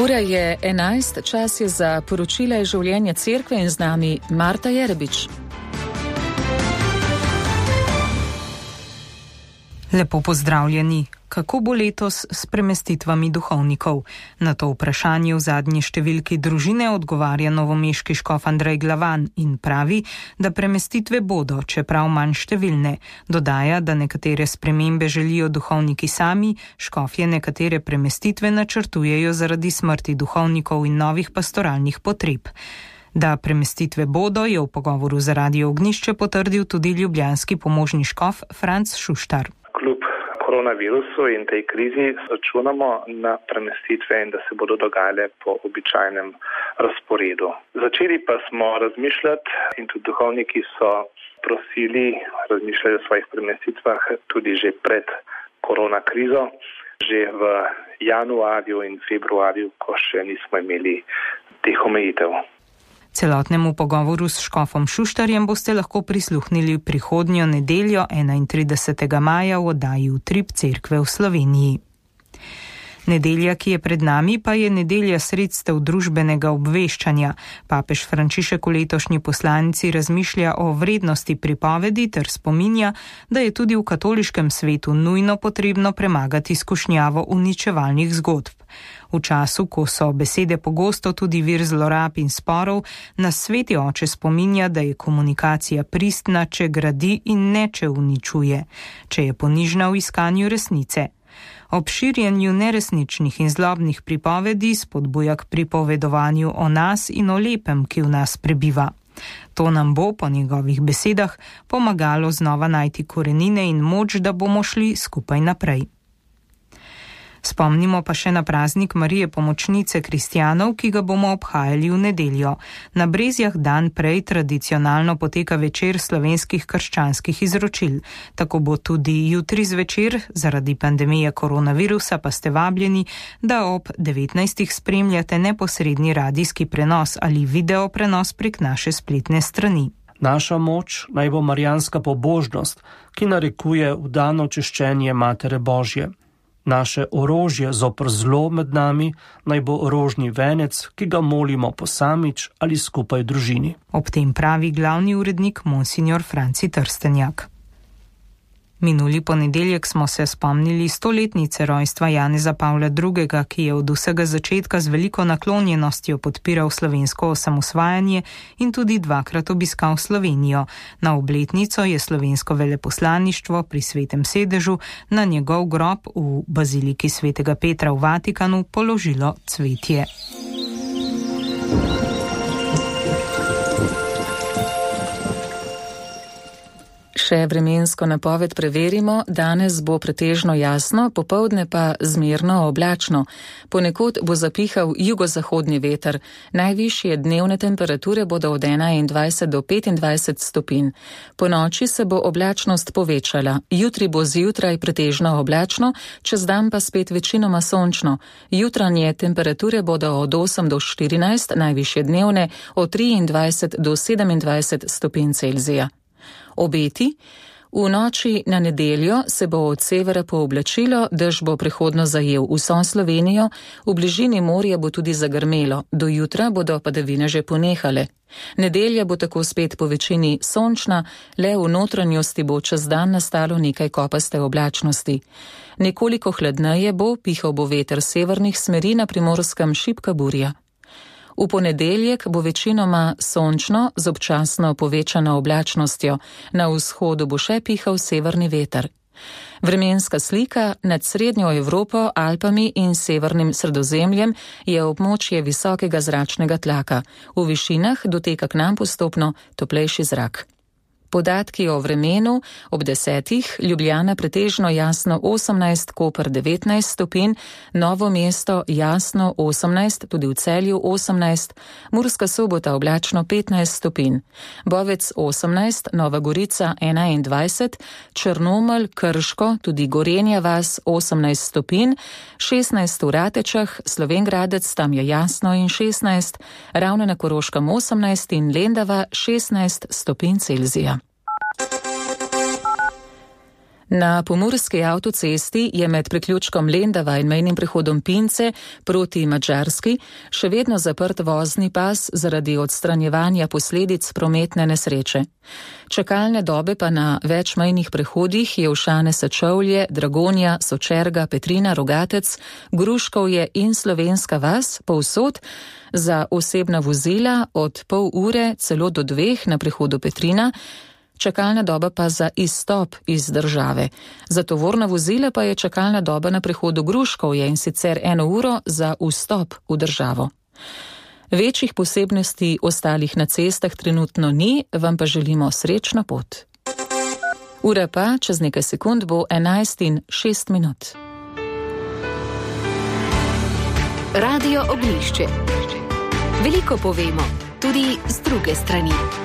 Ura je 11, čas je za poročila iz življenja cerkve in z nami Marta Jerebič. Lepo pozdravljeni. Kako bo letos s premestitvami duhovnikov? Na to vprašanje v zadnji številki Družine odgovarja novomeški škof Andrej Glavan in pravi, da premestitve bodo, čeprav manj številne. Dodaja, da nekatere spremembe želijo duhovniki sami, škofje nekatere premestitve načrtujejo zaradi smrti duhovnikov in novih pastoralnih potreb. Da premestitve bodo, je v pogovoru za Radio Ognjišče potrdil tudi ljubljanski pomožni škof Franc Šuštar. Kljub koronavirusu in tej krizi računamo na premestitve in da se bodo dogajale po običajnem razporedu. Začeli pa smo razmišljati in tudi duhovniki so prosili, razmišljali o svojih premestitvah tudi že pred korona krizo, že v januarju in februarju, ko še nismo imeli teh omejitev. Celotnemu pogovoru s škofom Šuštarjem boste lahko prisluhnili prihodnjo nedeljo 31. maja v oddaji Utrip cerkve v Sloveniji. Nedelja, ki je pred nami, pa je nedelja sredstev družbenega obveščanja. Papež Frančišek v letošnji poslanici razmišlja o vrednosti pripovedi ter spominja, da je tudi v katoliškem svetu nujno potrebno premagati skušnjavo uničevalnih zgodb. V času, ko so besede pogosto tudi vir zlorab in sporov, nas Sveti oče spominja, da je komunikacija pristna, če gradi in ne, če uničuje, če je ponižna v iskanju resnice. Ob širjenju neresničnih in zlobnih pripovedi spodbuja k pripovedovanju o nas in o lepem, ki v nas prebiva. To nam bo, po njegovih besedah, pomagalo znova najti korenine in moč, da bomo šli skupaj naprej. Spomnimo pa še na praznik Marije Pomočnice kristjanov, ki ga bomo obhajali v nedeljo. Na Brezjah dan prej tradicionalno poteka večer slovenskih krščanskih izročil. Tako bo tudi jutri zvečer, zaradi pandemije koronavirusa pa ste vabljeni, da ob 19. spremljate neposredni radijski prenos ali video prenos prek naše spletne strani. Naša moč naj bo marijanska pobožnost, ki narekuje vdano češčenje Matere Božje. Naše orožje zoper zlo med nami naj bo orožni venec, ki ga molimo posamič ali skupaj v družini. Ob tem pravi glavni urednik monsignor Franci Trstenjak. Minuli ponedeljek smo se spomnili 100-letnice rojstva Janeza Pavla II., ki je od vsega začetka z veliko naklonjenostjo podpiral slovensko osamosvajanje in tudi dvakrat obiskal Slovenijo. Na obletnico je slovensko veleposlaništvo pri Svetem sedežu na njegov grob v baziliki Svetega Petra v Vatikanu položilo cvetje. Še vremensko napoved preverimo, danes bo pretežno jasno, popoldne pa zmerno oblačno. Ponekod bo zapihal jugozahodni veter, najvišje dnevne temperature bodo od 21 do 25 stopinj. Po noči se bo oblačnost povečala, jutri bo zjutraj pretežno oblačno, čez dan pa spet večinoma sončno. Jutranje temperature bodo od 8 do 14, najvišje dnevne od 23 do 27 stopinj Celzija. Obeti. V noči na nedeljo se bo od severa pooblačilo, dež bo prehodno zajel vso Slovenijo, v bližini morja bo tudi zagrmelo, do jutra bodo padavine že ponehale. Nedelja bo tako spet po večini sončna, le v notranjosti bo čez dan nastalo nekaj kopaste oblačnosti. Nekoliko hladneje bo, pihal bo veter severnih smeri, na Primorskem šibka burja. V ponedeljek bo večinoma sončno z občasno povečano oblačnostjo, na vzhodu bo še pihal severni veter. Vremenska slika nad srednjo Evropo, Alpami in severnim Sredozemljem je območje visokega zračnega tlaka. V višinah doteka k nam postopno toplejši zrak. Podatki o vremenu: ob 10. Ljubljana pretežno jasno 18, Koper 19 stopinj, Novo mesto jasno 18, tudi v Celju 18, Murska Sobota oblačno 15 stopinj, Bovec 18, Nova Gorica 21, Črnomelj, Krško, tudi Gorenja vas 18 stopinj, 16 v Ratečah, Slovenj Gradec, tam je jasno in 16, Ravne na Koroškem 18 in Lendava 16 stopinj Celzija. Na pomurski avtocesti je med priključkom Lendava in mejnim prehodom Pince proti Madžarski še vedno zaprt vozni pas zaradi odstranjevanja posledic prometne nesreče. Čakalne dobe pa na več mejnih prehodih Jelšane Sečovlje, Dragonja, Sočerga, Petrina, Rogatec, Gruškovje in Slovenska vas povsod za osebna vozila od pol ure celo do 2 na prehodu Petrina, čakalna doba pa za izstop iz države. Za tovorna vozila pa je čakalna doba na prehodu Gruškovje in sicer 1 uro za vstop v državo. Večjih posebnosti ostalih na cestah trenutno ni, vam pa želimo srečno pot. Ura pa čez nekaj sekund bo 11:06. Radio Oglišče. Veliko povemo, tudi z druge strani.